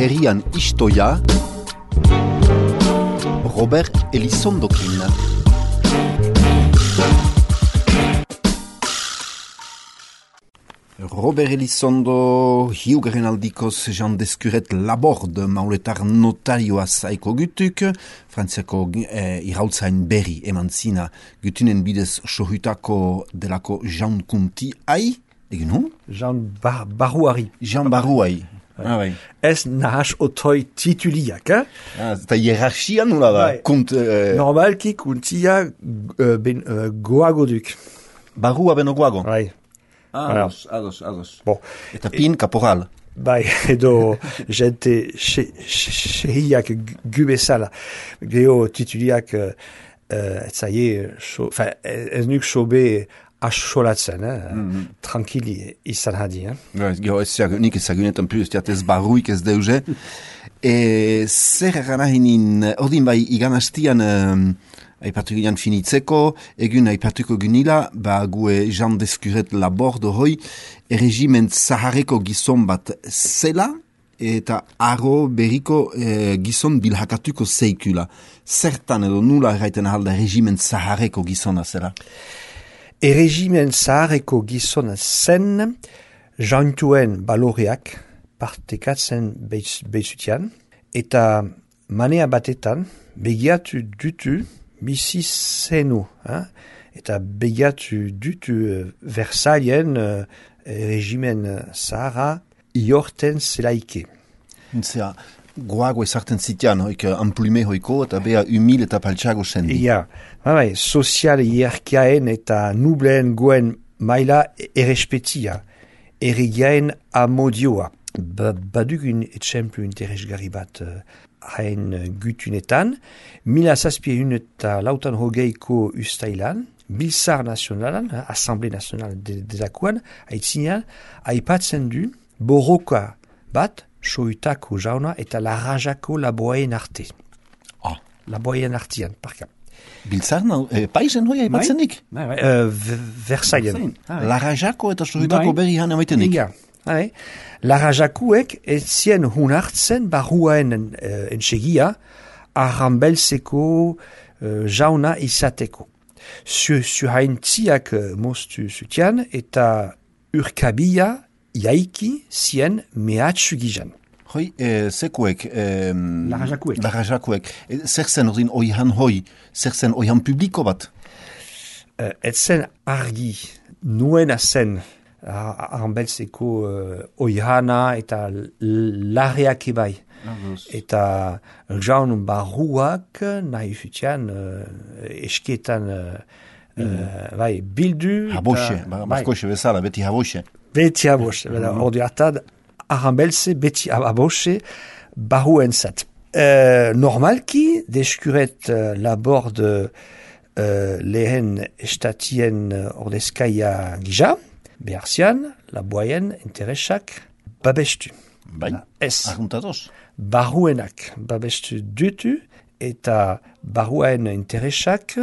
herrian istoia Robert Elizondokin. Robert Elizondo hiugaren aldikoz Jean Descuret Laborde mauletar notarioa zaiko gutuk, Frantziako irautzain berri eman zina gutunen bidez sohutako delako Jean Kunti ai, egin hu? Jean Barouari. Jean Barouari. Ah, bai. Ez nahas otoi tituliak, Eta hierarchia nula da? Normalki kuntia goago duk. Barua beno goago? Bai. Ados. Bon. Eta pin kaporal. Bai, edo gente sehiak gubezala. Geo tituliak ez nuk sobe asolatzen, tranquili izan hadi. Gero nik ezagunetan plus, ez barruik ez deuze. Zer eranahinin, ordin bai igan aipatu ginean finitzeko, egun aipatuko gunila, gue Jean Descuret Laborde hoi, erregimen zaharreko gizon bat zela, eta aro berriko gizon bilhakatuko zeikula. Zertan edo nula erraiten ahalda erregimen zaharreko gizona zela? Erregimen zaharreko gizona zen, jantuen baloreak partekatzen behizutian, eta manea batetan begiatu dutu bizi zenu, eta begiatu dutu Versailles regimen zahara iorten zelaike. Zera, goago ezarten zitean, hoik amplume hoiko, eta beha humil eta paltsago sendi. Ja, sozial hierarkiaen eta nubleen goen maila errespetia, errigaen amodioa. Badugun etxemplu interesgarri bat hain gutunetan, 1700 eta lautan hogeiko ustailan, Biltzar Nazionalan, Assemblée Nationale delakoan, haitzinean, aipatzen du borroka bat, sohutako jauna eta larrajako laboaien arte. Laboaien artean, parka. Biltzar, paisen hoi aipatzenik? Versailles. Larrajako eta sohutako berri han amaitenik? Larrajakuek ez zien hunartzen barruaen entsegia arrambelzeko jauna izateko. Zuhaintziak moztu zutian eta urkabia iaiki zien mehatsu gizan. Hoi, sekuek? Larrajakuek. Zer zen ordin oihan hoi? Zer zen oihan publiko bat? Ez zen argi, nuena zen arrambelzeko oihana eta larreak ebai. Eta jaun barruak nahi zutian esketan bildu. Haboxe, Markoxe bezala, beti haboxe. Beti haboxe, ordu hartad arrambelze beti haboxe barruen zat. Normalki, Descuret Laborde lehen estatien ordezkaia gija, beharzian, laboaien interesak babestu. Bai, arguntatoz. Barruenak babestu dutu eta barruen interesak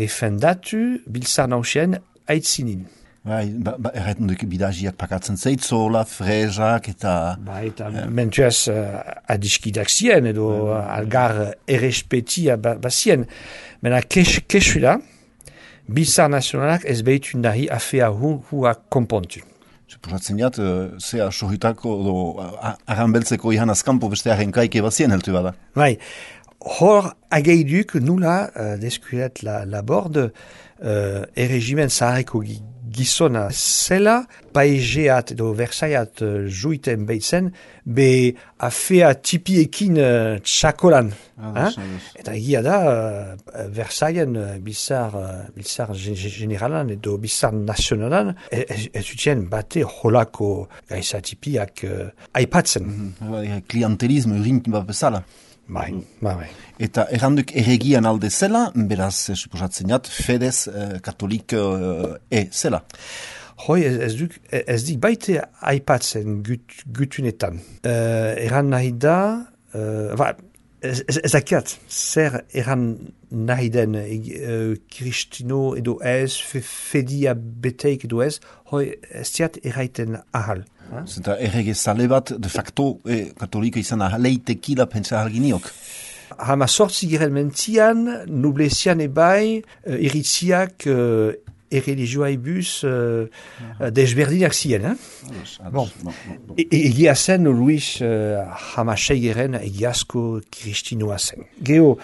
defendatu Biltzar Nausien aitzinin. Bai, erraten duk bidagiak pakatzen zeitzola, frezak eta... Bai, eta mentuaz adiskidak zien edo algar errespetia bazien. Mena kesuela, Biltzar Nazionalak ez behitu nahi afea hua konpontu. Suposatzen jat, zea sohutako arrambeltzeko ihan azkampo beste arrenkaike bazien heltu bada. Bai, hor ageiduk nula Descuret Laborde erregimen zaharreko gizona zela, paigeat edo Versaiat juiten behitzen, be afea tipiekin txakolan. Eta egia da, Versailles Biltzar generalan edo Biltzar nazionalan, ez utien bate holako gaiza tipiak aipatzen. Klientelismo urint bat bezala. Bai. Eta erranduk erregian alde zela, beraz, suposatzen jat, fedez katolik zela. Hoi, ez dik baite aipatzen gutunetan. Erran nahi da, Ez dakiat, zer eran nahi den Kristino edo ez, fedia beteik edo ez, hoi ez diat erraiten ahal. Zenta errege zale bat, de facto, katolika izan ahaleitekila pentsa halginiok. Hama sortzi giren mentian, nublezian ebai, iritziak erreligioa ibuz desberdinak ziren. Bon. Egia zen Luis hamasei geren egiazko kristinoa zen. Geo,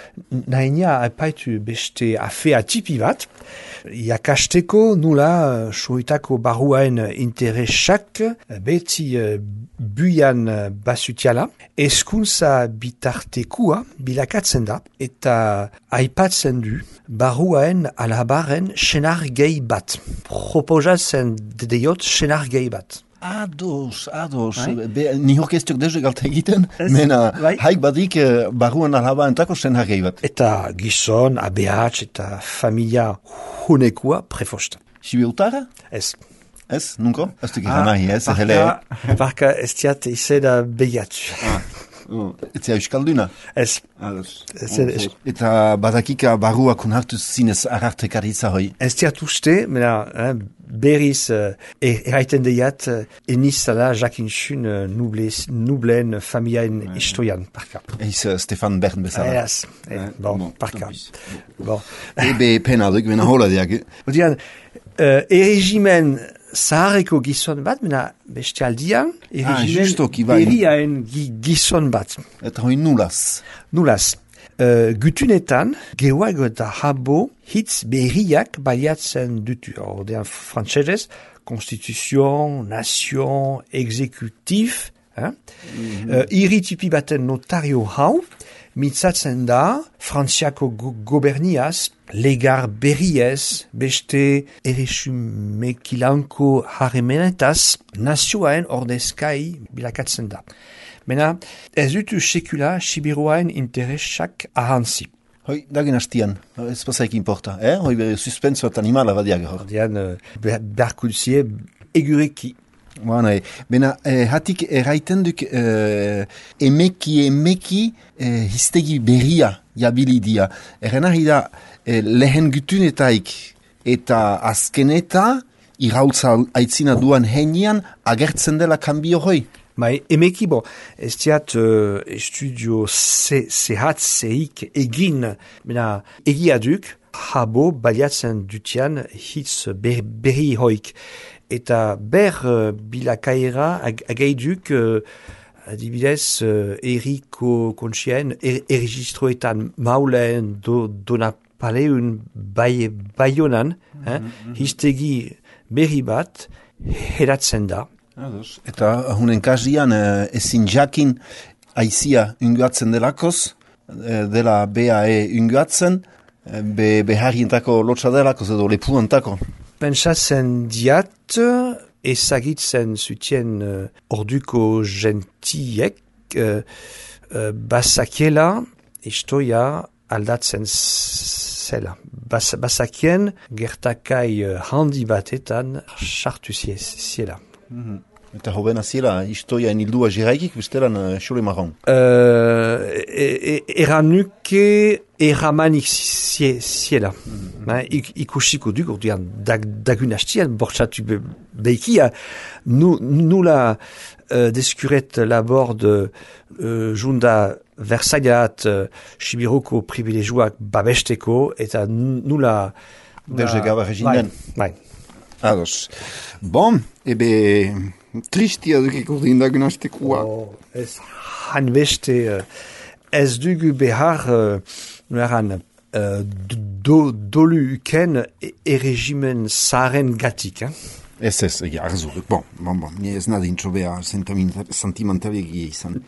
nahinia aipaitu beste afea tipi bat, jakasteko nula suitako barruaen interesak beti buian basutiala, eskuntza bitartekua bilakatzen da, eta aipatzen du barruaen alabaren senar gehi bat. Proposatzen deiot senar gehi bat. Ados. Ni orkestiok deje galta egiten, mena haik badik barruan alabaentako senar gehi bat. Eta gizon, ABH eta familia hunekua prefosta. Sibiutara? Ez. Ez, nunko? Ez duk ikan nahi, ez? Barka ez diat izena behiatu. Etzea euskalduna? Ez. Eta badakika barruak unhartu zinez arartekaritza hoi? Ez diat uste, mena berriz erraiten deiat enizala jakinxun nublen familiaen historian, parka. Eiz Stefan Bern bezala? Ez, parka. Ebe pena duk, bena hola diak. Odian, erregimen zahareko gizon bat, mena beste aldian, erregimen berriaen gizon bat. Eta hoi nulaz? Nulaz. Gutunetan, gehuag eta habo hitz berriak baliatzen dutu. Ordean frantsesez, konstituzion, nation, exekutif, iritipi baten notario hau, mitzatzen da, frantziako goberniaz, legar berriez, beste erresumekilanko harremenetaz, nazioaen ordezkai bilakatzen da. Mena, ez dutu sekula Sibiruaen interesak ahantzi. Hoi, dagen hastian, ez pasaik importa, hoi suspenso eta animala badiak hor. Ordean, beharkultzie egureki. Bena, hatik erraiten duk emeki histegi berria jabilidia. Errenari da, lehen gutunetaik eta azkeneta irautza aitzina duan henian agertzen dela kanbio hoi. Emeki, ez diat estudio zehatzeik egin, egia duk, habo baliatzen dutian hitz berri hoik. Eta bilakaera ageiduk, adibidez, eriko kontxien, erregistroetan maulen donapaleun baionan, histegi berri bat heratzen da. Eta hunen kazian ezin jakin aizia unguatzen delakoz, dela BAE unguatzen, beharrientako lotsa delakoz edo lepuantako. Pentsatzen diat, ezagitzen zutien orduko gentiek, basakiela istoia aldatzen zela. Basakien gertakai handi batetan sartu ziela. Eta hobena ziela, istoia enildua jiraikik, bestelan xole marron. Eranuke eramanik ziela. Ikusiko duk, orduan dagun hastian, bortxatu behikia, nula deskuret labord junda Versaiat Sibiruko privilegioak babesteko, eta nula... Berge gaba reginen. Bai. Ados. Bon, ebe tristia dukiko dindagun hastekoa. Ez hanbeste, ez dugu behar, nueran, dolu uken erregimen zaren gatik. Ez, egia, arzu. Bon, ni ez nadin txobea sentimentalik izan.